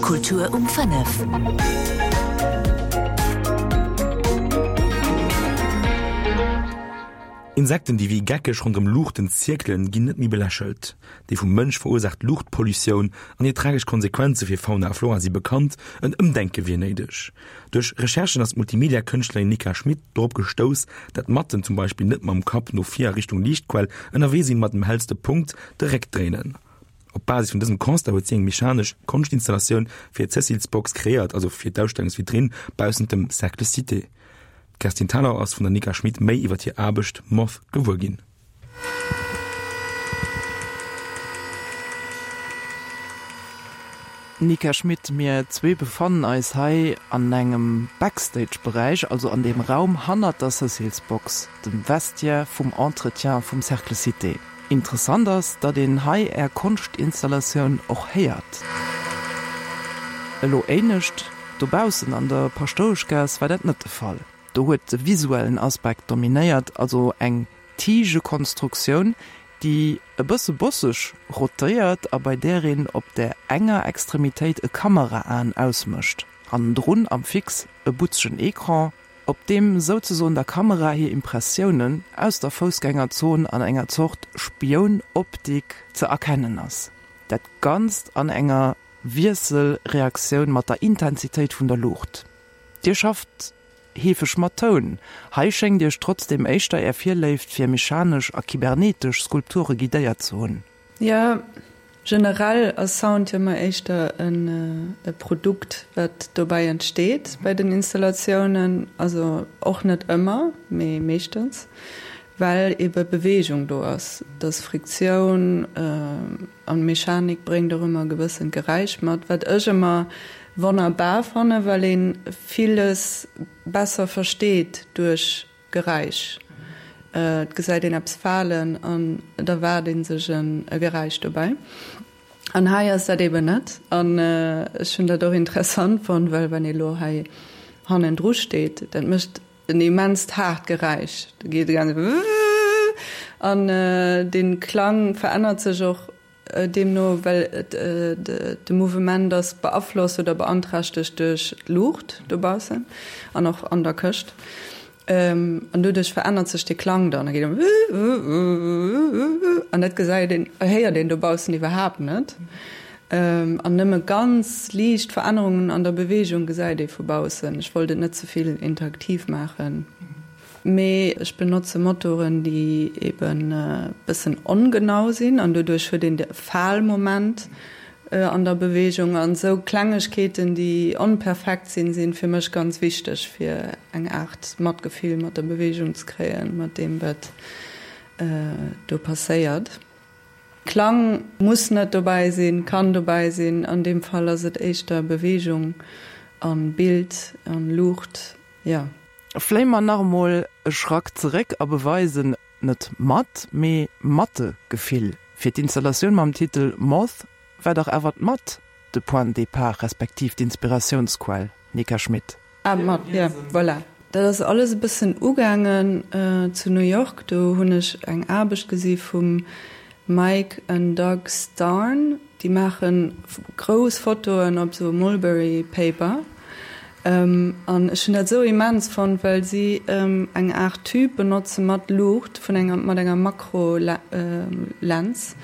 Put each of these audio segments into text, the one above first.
Kultur um 5. Insekten, déi wéi geckeg ronderëm Luuchten zierkelen, ginn net méi belächelt. Déi vum Mënsch verursaacht Luuchtpollutioun an hir tragesch Konsequenze fir Fauna a Flora si bekannt, en Ëmdenke wier néideg. Duerch Recherchen ass d'Multimedia-Kënschtlerin Nika Schmit dorop gestouss, dat Matten zum Beispill net mam Kapp no vir a Richtung Liichtquell ënnerwee sinn, ma dem hellste Punkt de Réck dréinen. Op Basis vun dësem Constat huet si eng mechanesch Konschtinstallatioun fir d'Cecil's Box kreéiert, also fir d'Ausstellungsvitrinn baussent dem Cercle Cité. D'Kerstin Thalau ass vun der Nika Schmit méi iwwer hir Aarbecht Moth gewuer ginn. Nika Schmit, Mir zwee befannen eis hei an engem Backstage-Beräich, also an deem Raum hannert der Cecil's Box, dem Vestiaire vum Entretien vum Cercle Cité. Interessant ass, datt een hei Är Konschtinstallatioun och héiert. Elo éinescht, dobaussen an der Paschtoueschgaass war dat net de Fall. Do huet de visuellen Aspekt dominéiert, also eng Tigekonstruktioun, déi e bësse bosseg rotéiert a bei där een op där enger Extremitéit e Kameraaen ausmécht, hannendrun am Fix e butzegen Ecran, op deem souzesoen der Kamera hir Impressiounen aus der Foussgängerzon an enger Zort Spioun-Optik ze erkennen ass. Dat Ganzt an enger Wiesselreaktioun mat der Intensitéit vun der Luucht. Dir schafft heefeg mat Toun, hei schéngt Iech trotzdeem éischter Är Virléift fir mechanesch a kybernetesch Skulpture guidéiert ze hunn. Jo, generell ass Sound jo ëmmer éischter e Produkt, wat dobäi entsteet bei den Installatiounen. Also och net ëmmer, mee meeschtens, well ebe Beweegung do ass. Et ass Friktioun an Mechanik bréngt och ëmmer e gewëssent Geräisch mat, wat ech ëmmer wonnerbar fannen, well ee villes besser versteet duerch Geräisch. Et gesäit een eppes falen an et erwaart ee sech e Geräisch dobäi. An hei ass dat eben net. An ech hunn dat och interessant fonnt, well wann ee lo hei hannendru steet, dat mécht en immenst haart Geräisch. Da geet e ganz Wwww an dee Klang verännert sech och Deemno, well de Mouvement ass beaflosst oder beanträchtegt duerch d'Luucht dobaussen an och an der Këscht. An doduerch verännert sech de Klang dann. Da geet e wuuwuuwuuwuuwuuw an dat gesäit een, héiert een dobaussen iwwerhaapt net. An nëmme ganz liicht Verännerungen an der Beweegung gesäit ee vu baussen. Ech wollt et net ze vill interaktiv maachen. Mee ech benotze Motoren, déi eben e bëssen ongenau sinn an doduerch huet een de Falmoment an der Beweegung. An esou Klengegkeeten, déi onperfekt sinn, sinn fir mech ganz wichteg, fir eng Aart Matgefill mat der Beweegung ze kréien, mat deem wat do passéiert. Klang muss net dobäi sinn, kann dobäi sinn. An deem Fall ass et éischter Beweegung an Bild an Luucht, jo. Fléie mer nach emol e Schrack zeréck a beweisen net mat, mee Mattegefill. Fir d'Installatioun mam Titel Moth war dach awer d'Matt de Point de départ respektiv d'Inspiratiounsquell, Nika Schmit. Ah, d'Matt, jo, voilà. Dat ass alles e bëssen ugaangen zu New York. Do hunn ech eng Aarbecht gesi vum Mike an Doug Starn, déi maache grouss Fotoen op esou Mulberry Paper. An ech hunn dat esou immens fonnt, well si eng Aart Tube benotze mat Luucht vun enger, mat enger Makro-Lens,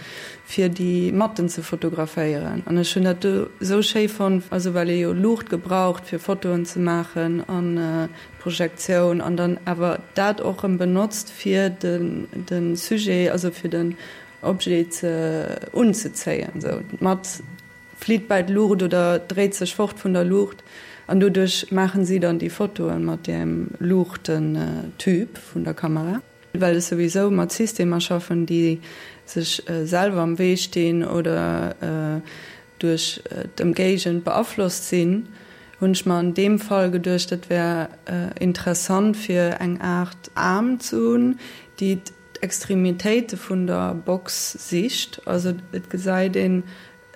fir déi Matten ze fotograféieren. An ech hunn dat do esou schéi fonnt, also well ee jo Luucht gebraucht, fir Fotoen ze maachen an Projektioun an dann awer dat och erëm benotzt fir de Sujet, also fir den Objet ze unzezéien. Esou d'Matt flitt bäi d'Luucht oder dréit sech fort vun der Luucht an doduerch maachen si dann déi Fotoe mat deem Luuchtentube vun der Kamera. Well ech souwisou mat Systemer schaffen, déi sech selwer am Wee stinn oder duerch d'Ëmgéigend beaflosst sinn, hunn ech mer an deem Fall geduecht, et wär interessant fir eng Aart Aarm ze hunn, déi d'Extremitéite vun der Box sicht. Also et gesäit een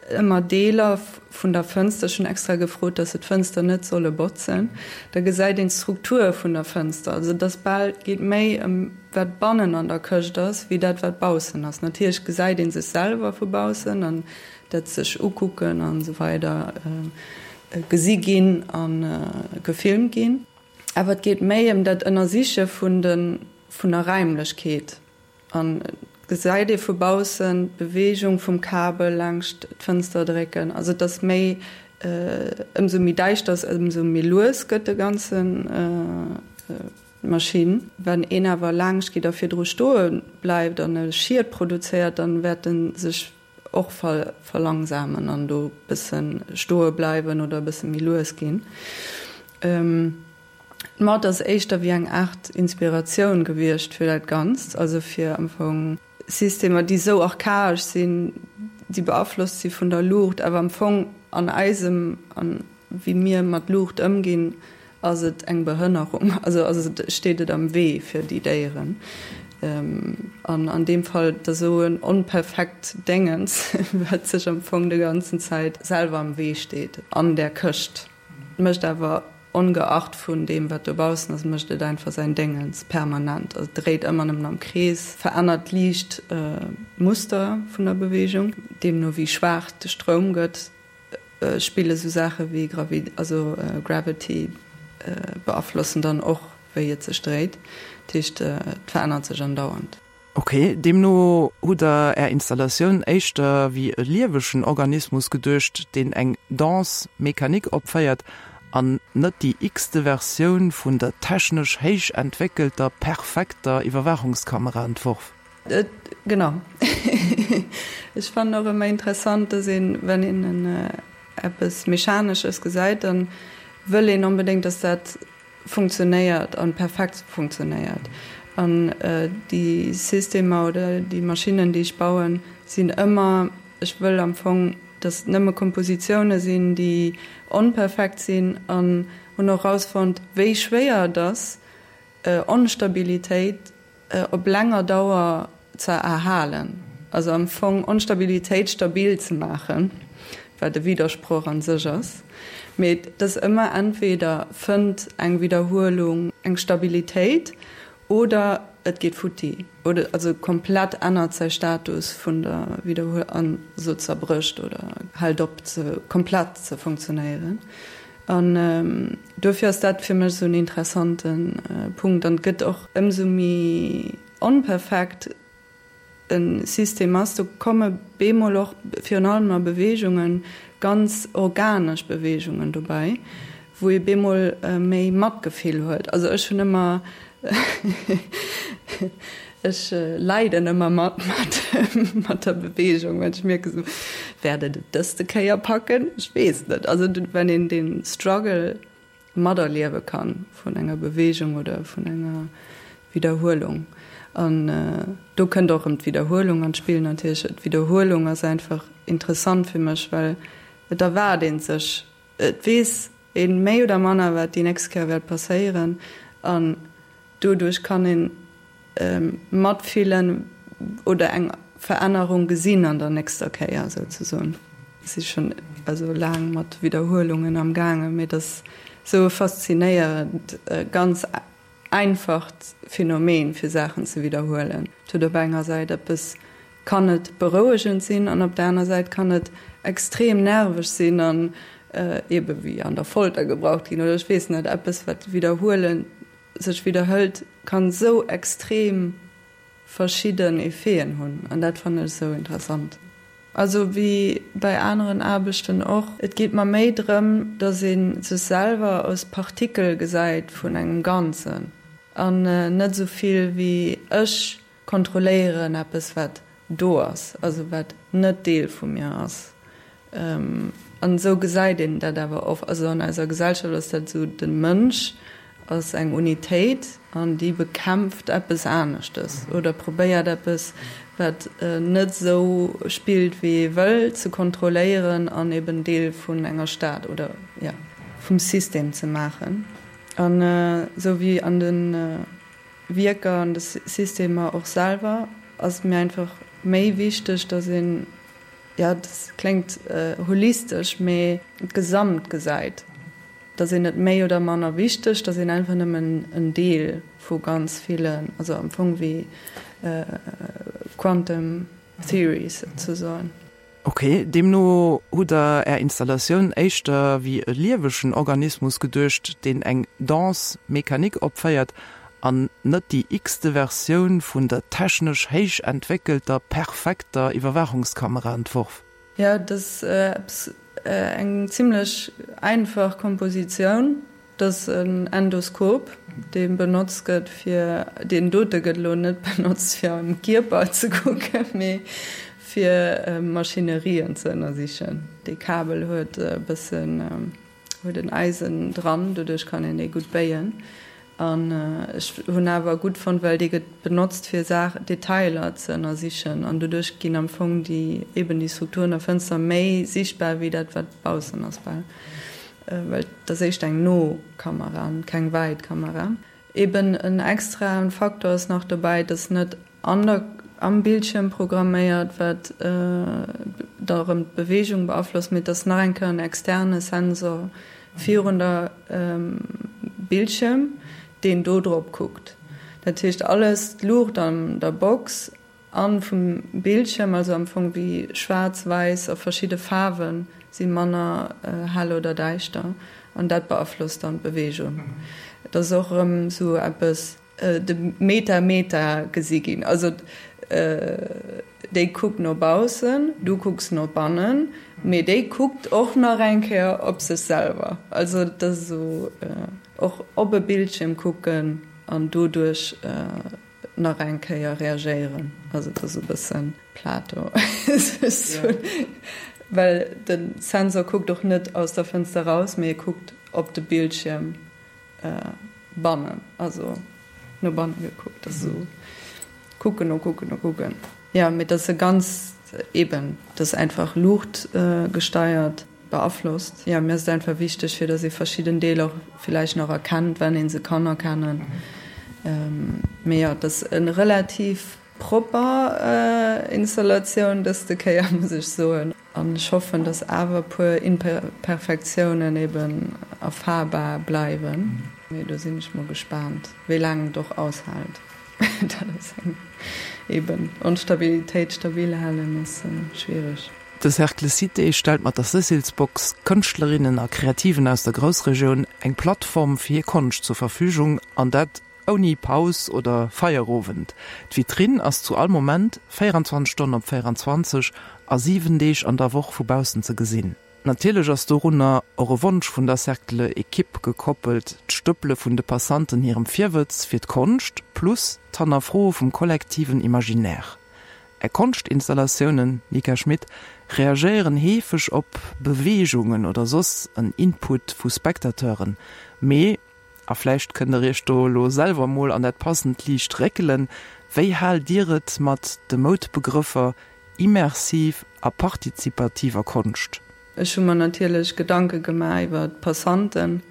ëmmer Deeler vun der Fënster, ech hunn extra gefrot, dass se d'Fënster net solle botzen, da gesäit een d'Struktur vun der Fënster. Also et ass bal, et geet méi ëm wat bannen an der Këscht ass, wéi dat wat baussen ass. Natierlech gesäit ee sech selwer vu baussen an. Dat sech ukucken an esou weider gesi ginn a gefilmt ginn. Awer et geet méi ëm dat Ënnersiche vun de vun der Räimlechkeet. An et gesäit ee vu baussen d'Beweegung vum Kabel laangscht d'Fënster drécken. Also et ass méi, ëmsou méi däischter ass, ëmsou méi lues gëtt de ganzen d'Maschinn. Wann een awer laangscht geet a virdru stoe bleift an e Schiet produzéiert, dann wäert en sech och verlangsamen an do bëssen stoe bleiwen oder e bësse méi lues ginn. D'Matt ass éischter wéi eng Aart Inspiratioun gewiescht fir dat Ganzt, also fir am Fong Systemer, déi esou archaesch sinn, déi beaflosst si vun der Luucht, awer am Fong an eisem, an wéi mir mat Luucht ëmginn, ass et eng Behënnerung, also ass et, steet et am Wee fir déi Déieren. An an deem Fall, et ass esou en onperfekt Déngens, wat sech am Fong de ganzen Zäit selwer am Wee steet an där Këscht. Et mécht awer, ongeacht vun deem wat dobaussen ass, mécht et einfach säin Déngens permanent. Also et dréit ëmmer nëmmen am Krees, verännert liicht d'Muster vun der Beweegung, deemno wéi schwaach de Stroum gëtt. Spille sou Saache wéi Gravi also Gravity beaflossen dann och wéi et sech dréit. Dat heescht et verännert sech andauernd. Ok, deemno hutt der är Installatioun éischter wéi e liewegen Organismus geduecht, deen eng Danse mécanique opféiert an net déi x-te Versioun vun der technesch héich entwéckelter perfekter Iwwerwaachungskamera entworf? Genau. Ech fannen och ëmmer interessant, dass een, wenn een eppes Mechanesches gesäit, dann wëll een onbedéngt, dass dat funktionéiert an perfekt funktionéiert. An déi Systemer oder déi Maschinnen, déi ech bauen, sinn ëmmer, ech wëll am Fong, dass et nëmme Kompositioune sinn, déi onperfekt sinn an hunn och erausfonnt, wéi schwéier et ass, Onstabilitéit op länger Dauer ze erhalen, also am Fong Onstabilitéit stabil ze maachen, wat e Widdersproch an sech ass, mee et ass ëmmer entweder fënnt eng Widderhuelung eng Stabilitéit oder et geet futti, oder also komplett ännert säi Status vun der Widderhuel an esou zerbrécht oder hält op ze komplett ze funktionéieren. An dofir ass dat fir mech esou en interessante Punkt. An et gëtt och, ëmsou méi onperfekt e System ass, do komme bemol och, virun allem a Beweegungen, ganz organesch Beweegungen dobäi, wou ee bemol méi Matgefill huet. Also ech hunn ëmmer, ech leiden ëmmer mat mat der Beweegung, well ech mierke sou, wäert et et dëste Kéier packen? Ech weess net. Also wann een dee Struggle materliewe kann vun enger Beweegung oder vun enger Widderhuelung. An do kënnt och erëm d'Widderhuelung an d'Spill natierlech. D'Widderhuelung ass einfach interessant fir mech, well et erwaart ee sech, et weess ee méi oder manner wat déi nächst Kéier wäert passéieren an Doduerch kann een matfillen oder eng Verännerung gesinn an der nächster Kéier souzesoen. Ech si schonn also laang mat Widderhuelungen am gaangen, mee et ass sou e faszinéierend, ganz einfacht Phänomen fir Saachen ze widderhuelen. Et huet op enger Säit eppes, kann et berouegend sinn an op der aner Säit kann et extrem nerveg sinn an ebe wéi an der Folter gebraucht ginn oder ech weess net, eppes wat widderhuelen sech widderhëlt, kann sou extrem verschidden Effeten hunn an dat fannen ech sou interessant. Also wéi bei aneren Aarbechten och, et geet mer méi drëm, dass ee sech selwer als Partikel gesäit vun engem Ganzen an net sou vill wéi ech Kontrolléieren eppes wat do ass, also wat net Deel vu mir ass. An esou gesäit een dat awer oft, also an eiser Gesellschaft ass dat esou, de Mënsch ass eng Unitéit an déi bekämpft eppes aneschtes oder probéiert eppes, wat net esou spillt wéi ee wëll, ze kontrolléieren an eben Deel vun enger Stad oder, jo, vum System ze maachen. An esou wéi an de Wierker an de Systemer och selwer ass et mir einfach méi wichteg, dass een, jo, dat kléngt holistesch, mee d'Gesamt gesäit, dass een net méi oder manner wichteg, dass een einfach nëmmen en Deel vu ganz villen, also am Fong wéi Quantum Theories souzesoen. Ok, deemno hutt der är Installatioun éischter wéi e liewegen Organismus geduecht, deen eng Danse mécanique opféiert an net déi x-te Versioun vun der technesch héich entwéckelter, perfekter Iwwerwaachungskamera entworf? Jo, et ass eppes eng zimlech einfach Kompositioun. Et ass en Endoskop, dee benotzt gëtt fir, deen dote gëtt elo net benotzt fir am Kierper ze kucken, mee fir Maschinerien ze ënnersichen. Dee Kabel huet e bëssen, huet en Eisen dran, doduerch kann een dee gutt béien. An ech hunn awer gutt fonnt, well dee gëtt benotzt fir Saach, Detailer ze ënnersichen an doduerch ginn am Fong déi, eben déi Strukturen der Fënster méi sichtbar wéi dat wat baussen ass bal. Well et ass éischt eng no Kamera an keng wäit Kamera. Eben en extraen Faktor ass nach dobäi, dass net an der am Bildschierm programméiert, wat da rëm d'Beweegung beaflosst, mee et ass nach eng Kéier en externe Sensor virun der Bildschierm, deen do drop kuckt. Dat heescht alles, d'Luucht an der Box An vum Bildschirm, also am Fong wéi schwaarz, wäiss a verschidde Faarwen si manner hell oder däischter an dat beaflosst dann d'Beweegung. Et ass och erëm esou eppes, de Meta Meta gesi ginn, also déi kuckt no baussen, du kucks no bannen, mee déi kuckt och nach eng Kéier op sech selwer. Also et ass esou och op e Bildschirm kucken an doduerch nach eng Kéier reagéieren. Also et ass e bësse Plato, well de Sensor kuckt och net aus der Fënster raus, mee e kuckt op de Bildschierm bannen, also no banne gekuckt. Dat ass esou kucken no kucken no kucken. Jo, mee et ass e ganz, eben, et ass einfach luuchtgesteiert. Beaflosst. Jo, mir ass et einfach wichteg, fir datt ee verschidden Deeler och villäicht nach erkennt, wann ee se kann erkennen. Mee jo, et ass e relativ propper Installatioun dëste Kéier, muss ech soen. An ech hoffen, datt awer e puer Imperfektiounen eben erfahrbar bleiwen. Mee do sinn ech mol gespaant, wéi laang et och aushält. Dat ass eng, eben, Onstabilitéit stabil halen ass schwiereg. De Cercle Cité stellt mat der Cecil's Box Kënschtlerinnen a Kreativen aus der Groussregioun eng Plattform fir hir Konscht zur Verfügung, an dat ouni Paus oder Feierowend. D'Vitrinn ass zu all Moment, 24 Stonnen op 24 a 7 Deeg an der Woch vu baussen ze gesinn. Natierlech ass dorunner och e Wonsch vun der Cercle-Ekipp gekoppelt, d'Stëppele vun de Passanten hirem Virwëtz fir d'Konscht plus d'Hannerfroe vum kollektiven Imaginaire. Är Konschtinstallatiounen, Nika Schmit, reagéieren heefeg op Beweegungen oder soss en Input vu Spectateuren, mee, a vläicht kënnt der iech do elo selwer mol an dat passend Liicht réckelen, wéi haalt Dir et mat de Moudbegrëffer immersiv a partizipativer Konscht? Ech hu mer natierlech Gedanke gemaach iwwer d'Passanten,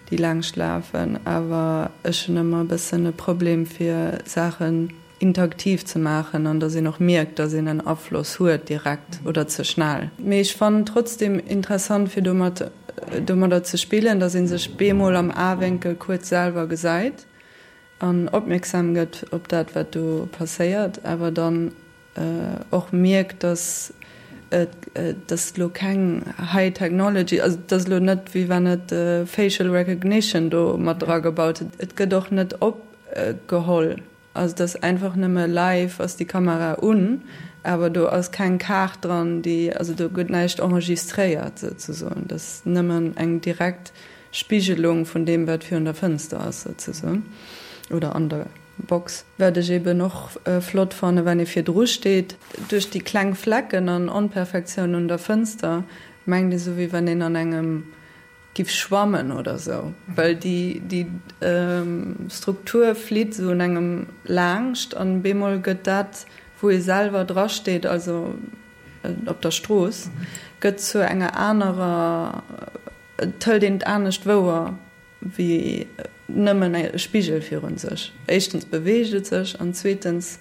déi laangscht lafen, awer ech hunn ëmmer e bëssen e Problem fir Saachen interaktiv ze maachen an dass een och mierkt, dass een en Afloss huet direkt oder ze schnell. Mee ech fannen trotzdem interessant fir domat domadder ze spillen, dass een sech bemol am Aewénkel kuerz selwer gesäit an opmierksam gëtt op dat wat do passéiert, awer dann och mierkt, dass et dass elo keng High Technology, also et ass elo net wéi wann et Facial Recognition do mat dragebaut huet, et gëtt och net opgeholl, also et ass einfach nëmme live ass déi Kamera un, awer do ass keng Kaart dran, déi, also do gëtt näischt enregistréiert souzesoen, et ass nëmmen eng direkt Spigelung vun deem wat virun der Fënster ass souzesoen oder an der. Box. Wat ech eben och flott fannen, wann ee virdru steet, duerch déi kleng Flecken an Onperfektiounen un der Fënster, mengt ee sou wéi wann een an engem giff schwammen oder sou, well déi déi Struktur flitt sou un engem laangscht an bemol gëtt dat wou ee selwer dra steet, also op der Strooss, gëtt zu enger anerer, et hëlt een et anescht wouer. Wéi nëmmen e Spigel virun sech. Éischtens beweegt et sech an zweetens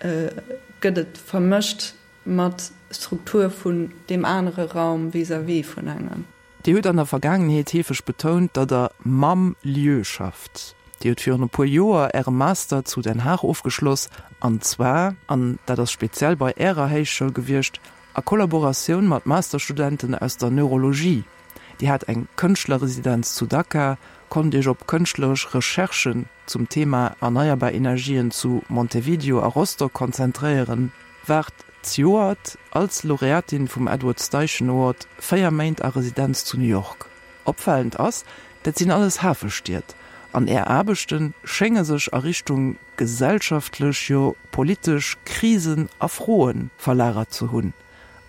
gëtt et vermëscht mat Struktur vun deem anere Raum vis-à-vis vun engem. Dir hutt an der Vergaangenheet heefeg betount, datt Der mam Lieu schafft. Dir hutt virun e puer Joer Äre Master zu Den Haag ofgeschloss, an zwar, an dat ass speziell bei Ärer Héichschoul gewiescht, A Kollaboratioun mat Masterstudenten aus der Neurologie, Dir hat eng Kënschtlerresidenz zu Dakar, konnt Iech op kënschtleresch Recherchen zum Thema erneierbar Energien zu Montevideo a Rostock konzentréieren, waart zejoert als Laureatin vum Edward Steichen Award 4 Méint a Residenz zu New York. Opfalend ass, dat sinn alles Hafestied, an Är Aarbechte schénge sech a Richtung gesellschaftlech, jo politesch Krisen a Froe verlagert ze hunn.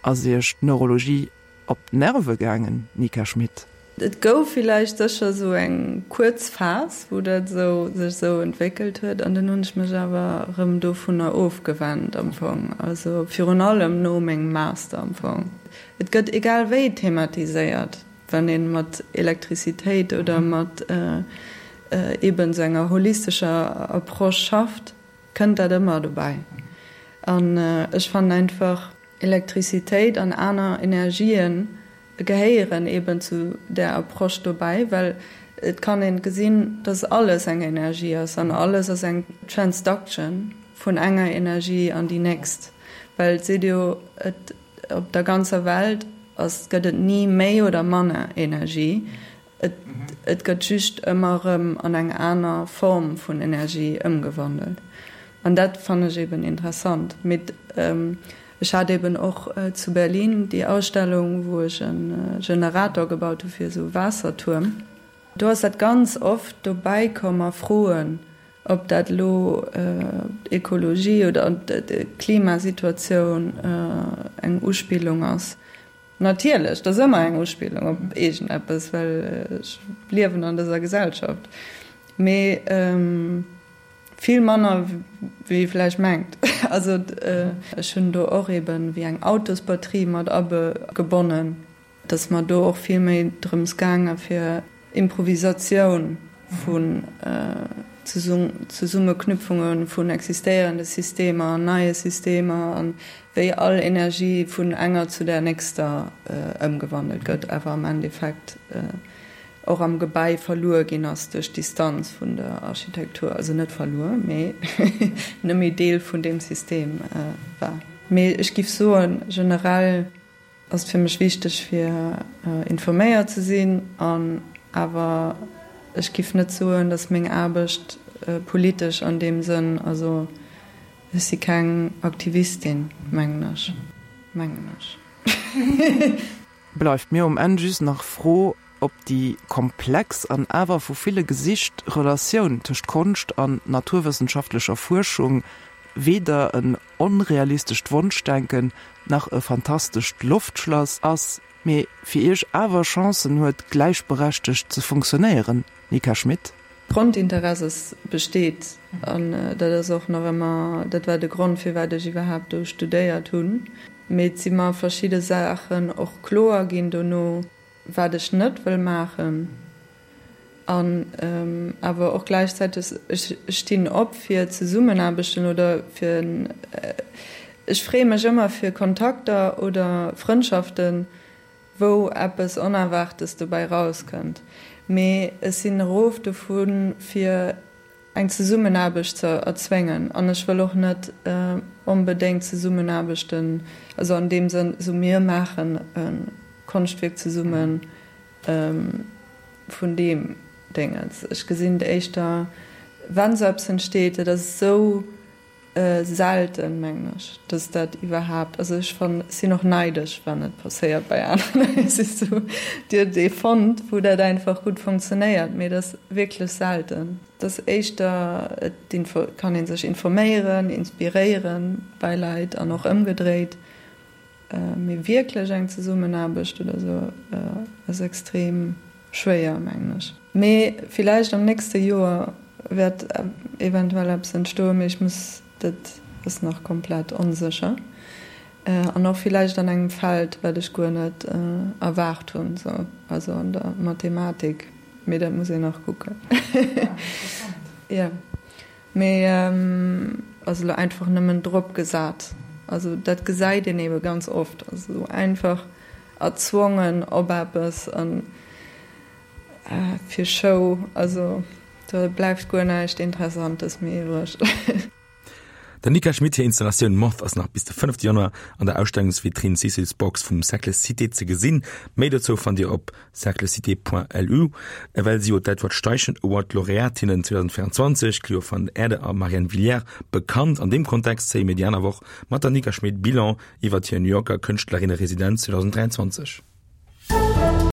Ass Iech d'Neurologie op d'Nerve gaangen, Nika Schmit? Et gouf villäicht sécher esou eng kuerz Phas, wou dat esou sech esou entwéckelt huet, an dunn hunn ech mech awer erëm dovunner ofgewennt am Fong, also virun allem no mengem Master am Fong. Et gëtt egal wéi thematiséiert, wann ee mat Elektrizitéit oder mat eeben esou enger holistescher Approche schafft, kënnt dat ëmmer dobäi. An ech fannen einfach, Elektrizitéit an aner Energien gehéieren eben zu där Approche dobäi, well et kann een gesinn, dass alles eng Energie ass an alles ass eng Transduction vun enger Energie an déi nächst, well et seet jo, et op der ganzer Welt ass, gëtt et ni méi oder manner Energie, Et gëtt just ëmmer erëm an eng aner Form vun Energie ëmgewandelt. An dat fannen ech eben interessant. Mee ech hat eben och zu Berlin déi Ausstellung, wou ech e Generator gebaut hu fir esou e Waassertuerm. Do ass dat ganz oft dobäi komm a Froen, ob dat elo d'Ekologie oder d'Klimasituatioun eng Uspillung ass. Natierlech, dat ass ëmmer eng Uspillung op iergendeppes, well ech liewen an dëser Gesellschaft. Mee vill manner wéi ee vläicht mengt. Also ech hunn do och eben wéi eng Autosbatterie mat agebonnen. Et ass mer do och vill méi drëms gaange fir Improvisatioun vun Zesummeknüpfunge vun existéierende Systemer an neie Systemer an wéi all Energie vun enger zu där nächster ëmgewandelt gëtt, awer am Endeffekt och am Gebäi verluer ginn ass duerch d'Distanz vun der Architektur, also net verluer, mee net méi Deel vun deem System war. Mee ech giff soen, generell Ass et fir mech wichteg fir informéiert ze sinn an awer ech giff net soen, datt meng Aarbecht politesch an deem Sënn, also ech si keng Aktivistin, mengen ech, mengen ech. Bleift mir um Enn just nach d'Fro, ob déi komplex an awer vu ville gesicht Relatioun tëscht Konscht an naturwëssenschaftlecher Fuerschung weder en onrealistescht Wonschdenken nach e fantastescht Loftschlass ass, mee fir Iech awer Chancen huet gläichberechtegt ze funktionéieren, Nika Schmit? D'Grondinteresse ass besteet an dat ass och nach ëmmer, dat war de Grond firwat ech iwwerhaapt do studéiert hunn. Mee et si mer verschidde Saachen och kloer ginn dono, wat ech net wëll maachen. An awer och gläichzäiteg, ech stinn op fir Zesummenaarbechten oder fir, ech freeë mech ëmmer fir Kontakter oder Frëndschaften, wou eppes Onerwaartes dobäi rauskënnt. Mee ech sinn erof dovu fir eng Zesummenaarbecht ze erzwéngen. An ech wëll och net onbedéngt Zesummenaarbechten, also an deem Sënn, esou mir maachen e Konschtwierk zesummen, vun deem Déngens. Ech gesinn et éischter, wann esou eppes entsteet, dat ass esou selten, mengen ech, dass dat iwwerhaapt, also ech fann, sinn och neidesch, wann et passéiert bei aneren. Et ass esou, Dir hutt ee fonnt, wou dat einfach gutt funktionéiert, mee et ass wierklech selten. Et ass éischter, et kann ee sech informéieren, inspiréieren bei Leit an och ëmgedréit. Mee wierklech eng Zesummenaarbecht oder sou ass extrem schwéier, mengen ech. Mee villäicht am nächste Joer wäert eventuell eppes entstoen, mee ech muss, dat ass nach komplett onsécher. An och villäicht an engem Feld, wat ech guer net erwaart hunn, sou, also an der Mathematik, mee dat muss een nach kucken. Jo. Mee ass elo einfach nëmmen drop gesat. Also dat gesäit een ebe ganz oft, also esou einfach erzwongen op eppes an fir Show, also do bleift guer näischt Interessantes méi iwwreg. Der Nika Schmit hir Installatioun Moth ass nach bis de 5 Januar an der Ausstellungsvitrinn Cecil's Box vum Cercle Cité ze gesinn. Méi dozou fannt Dir op cerclecité.lu. Ewell si jo d'Edward Steichen Award Laureatinnen 2024, Clio van Erde a Marianne Villière, bekannt. An deem Kontext zéie mir déi aner Woch mat der Nika Schmit Bilan iwwert hir New Yorker Kënschtlerinne-Residenz 2023.